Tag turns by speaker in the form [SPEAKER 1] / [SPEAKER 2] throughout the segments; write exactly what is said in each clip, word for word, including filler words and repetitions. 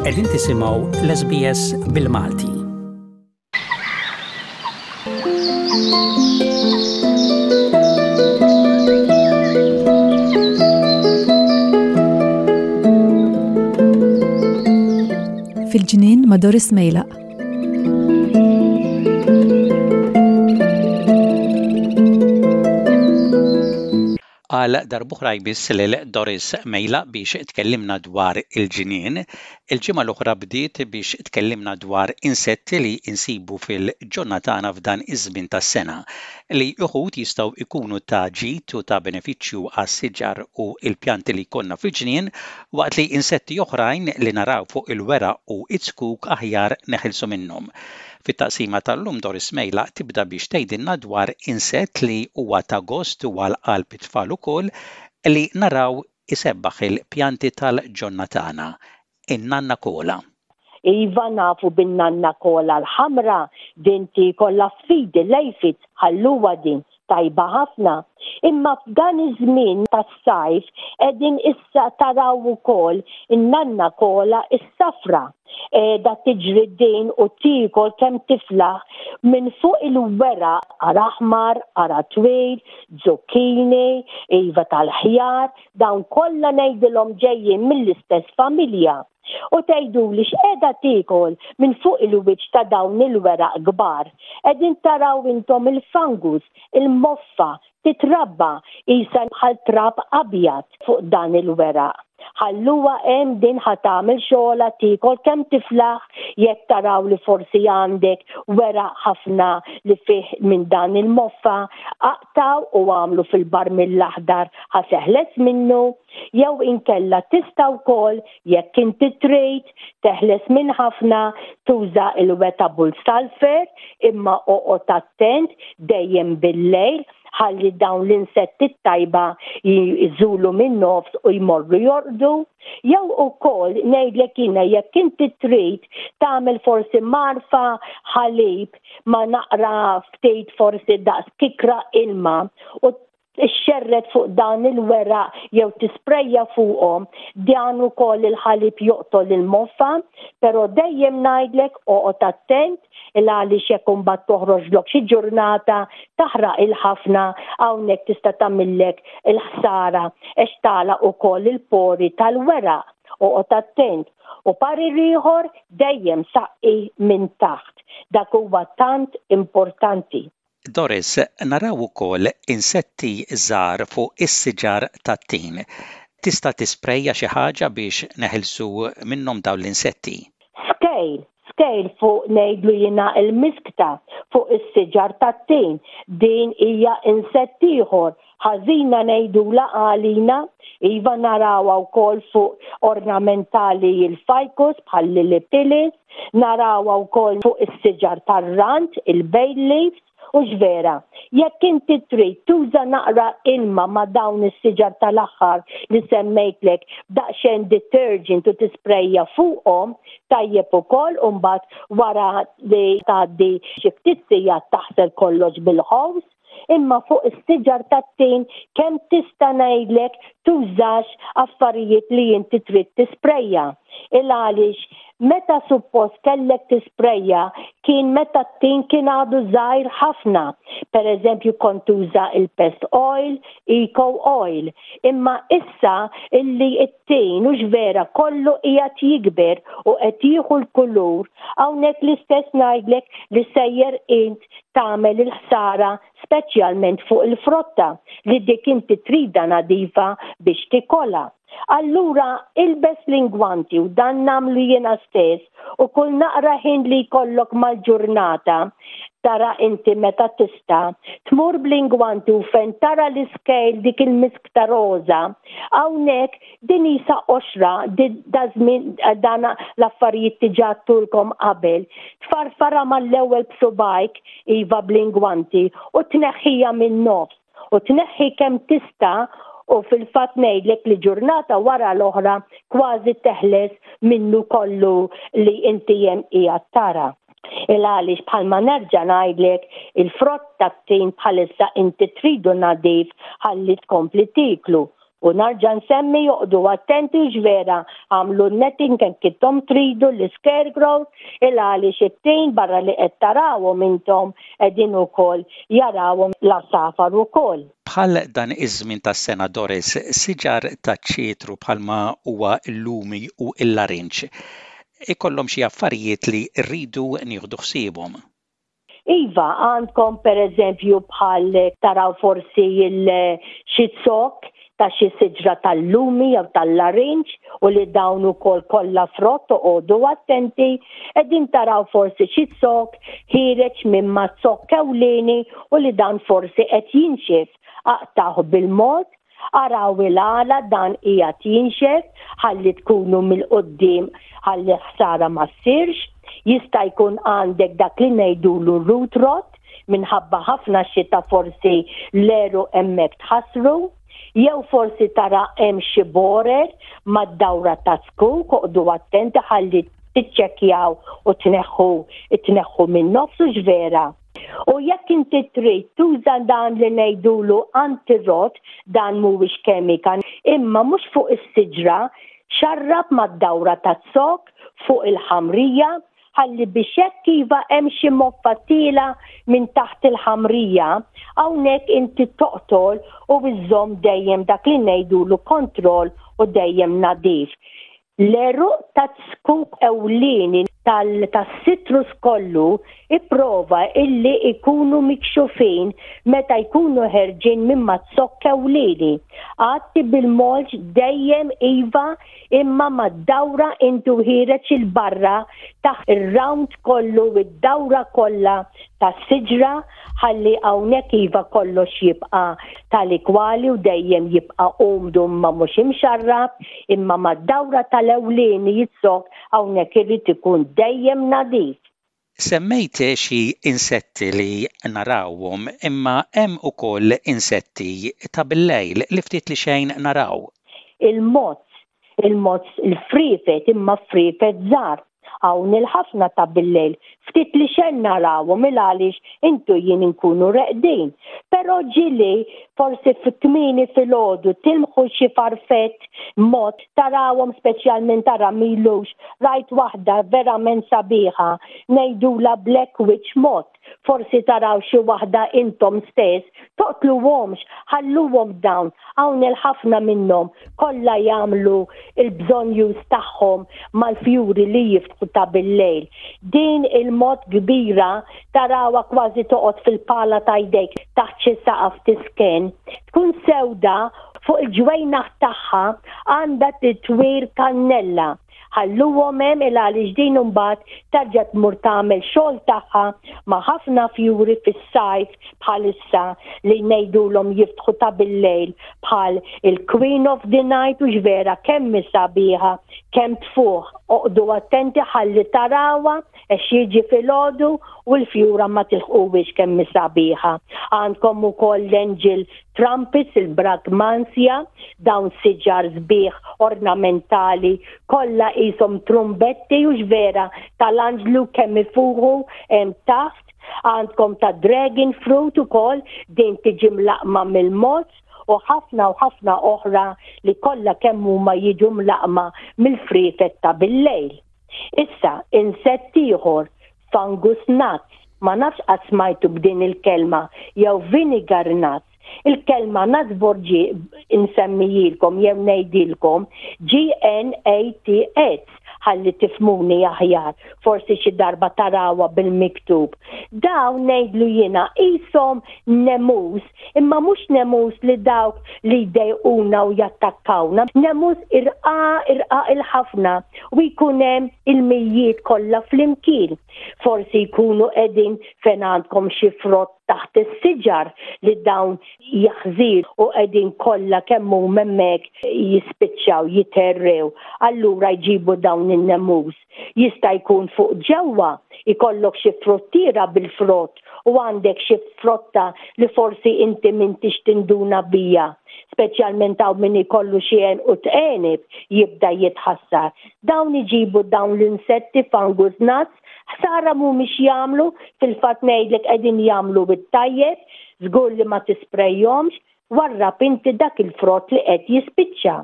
[SPEAKER 1] Qegħdin tisimgħu l-S B S bil-Malti.
[SPEAKER 2] Fil-ġnien ma' Doris Mejlaq.
[SPEAKER 1] Għal darb'oħra jmiss lil Doris Mejlaq biex tkellimna dwar il-ġnien. Il-ġimgħa l-oħra bdiet biex tkellimna dwar insetti li insibu fil-ġonna tagħna f'dan iż-żmien tas-sena, li uħud jistgħu jkunu ta' ġid u ta' benefiċċju għas-siġar u l-pjanti li jkollna fil-ġnien, waqt li insetti oħrajn li naraw fuq il-weraq u iz-zkuk aħjar neħilsu minnhom. Fit-taqsima tal-lum, Doris Mejlaq tibda biex tgħidilna dwar insett li huwa ta' gost u għal qalb it-tfal ukoll li naraw isebbaħ il-pjanti tal-ġonna tagħna, in-nanna kola.
[SPEAKER 3] Iva, nafu bin-nanna kola l-ħamra, din tiekol l-affidi, l-aphids, ħalluha din, tajba ħafna. Imma f'dan iż-żmien tas-sajf qegħdin issa taraw ukoll in-nanna kola is-safra. Qiegħda tiġri din u tiekol kemm tiflaħ minn fuq il-weraq qara aħmar, qara twil, zucchini, iva tal-ħjar, dawn kollha ngħidilhom ġejjin mill-istess familja. U tgħidu li x'qiegħda tiekol minn fuq il-wiċċ ta' dawn il-weraq kbar? Qegħdin taraw intom il-fungus, il-moffa, titrabba qisha bħal trab abjad fuq dan il-weraq. Ħalluha hemm din, ħa tagħmel xogħla, tiekol kemm tiflaħ. Jekk taraw li forsi għandek weraq ħafna li fih minn dan il-moffa, aqtaw u għamlu fil-barmil l-aħdar, ħa teħles minnu, jew inkella tista' wkoll, jekk inti trid teħles minn ħafna, tuża il-wettable sulfur, imma oqgħod attent, dejjem bil-lejl, ħalli dawn l-insetti tajba jżulu minn nofs u jmorru jorqdu. Jew ukoll ngħidlek jiena, jekk inti trid tagħmel forsi mgħarfa ħalib ma' naqra ftit, forsi daqs kikra ilma, u xxerred fuq dan il-weraq jew tisprejja fuqhom, dan ukoll il-ħalib joqtol il-moffa, però dejjem ngħidlek oqgħod attent, il għaliex jekk imbagħad toħroġlok xi ġurnata taħraq il-ħafna, hawnhekk tista' tagħmillek il-ħsara għax tagħlaq ukoll il-pori tal-weraq. Oqgħod attent. U parir ieħor, dejjem saqqi minn taħt. Dak huwa tant importanti.
[SPEAKER 1] Doris, naraw ukoll insetti żgħar fuq is-siġar tat-tin. Tista' tisprejja xi ħaġa biex neħilsu minnhom dawn l-insetti?
[SPEAKER 3] Scale, scale fuq, ngħidlu jiena il-miskta fuq is-siġar tat-tin. Din hija insett ieħor ħażina ngħidula għalina. Iva, narawha wkoll fuq ornamentali, il-ficus bħal lilly pillies, narawha wkoll fuq is-siġar tar-rand, il-bay leaves, u vera. Jekk inti trid tuża naqra ilma ma' dawn is-siġar tal-aħħar li semmejtlek, daqsxejn detergent, u tisprejja fuqhom, tajjeb ukoll, u mbagħad wara li tgħaddi xi ftit sigħat taħsel kollox bil-hose. Imma fuq is-siġar tat-tin kemm tista' ngħidlek tużax affarijiet li inti trid tisprejja. Il għaliex meta suppost kellek tisprejja kien meta t-tin kien għadu żgħir ħafna. Per eżempju, kont tuża il-pest oil, eco oil. Imma issa illi it-tin u vera kollu qiegħed jikber u qed jieħu l-kulur, hawnhekk l-istess ngħidlek li sejjer int tagħmel il-ħsara, speċjalment fuq il-frotta li dik inti trida nadifa biex tikolha. Allura ilbes l-ingwanti, u dan nagħmlu jiena stess, u kull naqra ħin li jkollok mal-ġurnata tara inti meta tista' tmur bl-ingwanti u fejn tara l-scale, dik il-miskta roza, hawnhekk din qisha qoxra, da żmien dan l-affarijiet diġà għedtulkom qabel. Tfarfara mal-ewwel b'subgħajk, iva, bl-ingwanti, u tneħħija minn nofs u tneħħi kemm tista', u fil-fatt ngħidlek li ġurnata wara l-oħra kważi teħles minnu kollu li inti hemm qiegħed tara. Il għaliex bħalma nerġa' ngħidlek, il-frott tat-tin bħalissa inti tridu nadif ħalli tkompli tiklu. U nerġa' nsemmi, oqogħdu attenti ġvera, għamlu netting kemm intom tridu l-scarecrow, il għaliex it-tin barra li qed tarawhom intom qegħdin ukoll jarawhom l-għasafar ukoll.
[SPEAKER 1] Bħal dan iż-żmien tas-sena, Doris, siġar ta' ċitru bħalma huwa l-lumi u l-larinġ ikollhom xi affarijiet li rridu nieħdu ħsiebhom.
[SPEAKER 3] Iva, għandkom per eżempju bħal taraw forsi il-xi zokk ta' xi siġra tal-lumi jew tal-larinġ u li dawn ukoll kollha frott, oqogħdu attenti, qegħdin taraw forsi xi zokk ħiereġ minn ma' zokk ewlieni u li dan forsi qed jinxef. Aqtgħuh bil-mod, araw il-għala dan qiegħed jinxef ħalli tkunu mill-qoddim ħalli ħsara ma ssirx. Jista' jkun għandek dak li ngħidulu root rot minħabba ħafna xita, forsi l-għeruq hemmhekk tħassru, jew forsi tara hemm xi borer mad-dawra ta' zkuk, oqogħdu attenti ħalli tiċċekkjaw u tneħħu tneħħu minn nofsu ġvera. U jekk inti trid tuża dan li ngħidulu antirot, dan mhuwiex kemika, imma mhux fuq is-siġra, xarrab mad-dawra ta' zokk fuq il-ħamrija ħalli biex hekk iva hemm xi moffa tielgħa minn taħt il-ħamrija, hawnhekk inti toqtol u iżżomm dejjem dak li ngħidulu kontroll u dejjem nadif. L-għeruq ta' zkuk ewlieni tas-citrus kollu ipprova illi ikunu mikxufin meta jkunu ħerġin minn maz-zokk ewlieni. Għatti bil-mulch dejjem iva, imma mad-dawra intu ħiereġ 'il barra taħt ir-round kollu, id-dawra kollha tas-siġra, ħalli hawnhekk iva kollox jibqa' tali kwali u dejjem jibqa' umdu ma mhux imxarrab, imma mad-dawra tal-ewlieni iz-zokk hawnhekk irid ikun dejjem nadif.
[SPEAKER 1] Semmejt xi insetti li narawhom, imma hemm ukoll insetti ta' bil-lejl li ftit li xejn naraw.
[SPEAKER 3] Il-moths, il-moths, il-friefet, imma friefet żgħar. Hawn il-ħafna ta' bil-lejl, ftit li xejn narawhom il għaliex intu jien inkunu reqdin. Però ġieli forsi fi kmieni filgħodu tilmħu xi farfett moth, tarawhom, speċjalment tara m'ilux rajt waħda verament sabiħa, ngħidula Black Witch Moth. Forsi taraw xi waħda intom stess, toqtluhomx, ħalluhom dawn, hawn il-ħafna minnhom kollha jagħmlu il-bżonjuż tagħhom mal-fjuri li jiftħu ta' bil-lejl. Din il-moth kbira tarawha kważi toqgħod fil-pala ta' jdejk taħt xi saqaf tisken. Tkun sewda, fuq il-ġwejnaħ tagħha għandha titwir kannella. Ħalluhom hemm il għaliex din imbagħad terġa' tmur tagħmel xogħol tagħha ma' ħafna fjuri fis-sajf bħalissa li ngħidulhom jiftħu ta' bil-lejl bħal il-Queen of the Night u vera kemm sabiħa, kemm tfuħ. Oqogħdu attenti ħalli tarawha għax jiġi filgħodu u l-fjura ma tilħquwix kemm sabiħa. Għandkom ukoll l-angel trumpets, il-brugmansia, dawn siġar sbieħ ornamentali kollha qishom trumbetti u vera tal-anġlu kemm ifuħu hemm taħt. Għandkom ta' dragon fruit ukoll, din tiġi mlaqma mill-moths u ħafna u ħafna oħra li kollha kemm huma jiġu mlaqma mill-friefet ta' bil-lejl. Issa, insett ieħor, fungus gnats, ma nafx qatt smajtu b'din il-kelma, jew vinegar gnats. Il-kelma gnats borġi insemmijilkom jew ngħidilkom G N A T S ħalli tifhmuni aħjar, forsi xi darba tarawha bil-miktub. Dawn ngħidlu jiena qishom nemus, imma mhux nemus li dawk li jdejquna u jattakkawna. Nemus irqaq, irqaq il-ħafna u jkun hemm il-mijiet kollha flimkien. Forsi jkunu qegħdin fejn għandkom xi frott taħt is-siġar li dawn jaħżir u qegħdin kollha kemm huma hemmhekk jispiċċaw jiterrew. Allura jġibu dawn in-nemus. Jista' jkun fuq ġewwa ikollok xi fruttiera bil-frott u għandek xi frotta li forsi inti m'intix tinduna biha. Speċjalment hawn min ikollu xi u tqenib jibda jitħassar. Dawn iġibu dawn l-insetti fungus gnats, ħsara mhumiex jagħmlu, fil-fatt ngħidlek qegħdin jagħmlu bit-tajjeb, żgur li ma tisprejjomx. Warrab inti dak il-frott li qed jispiċċa.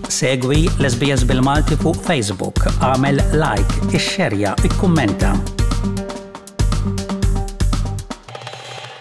[SPEAKER 1] Segwi l-S B S bil-Malti fuq Facebook, għamel like, ixxerja, ikkummenta.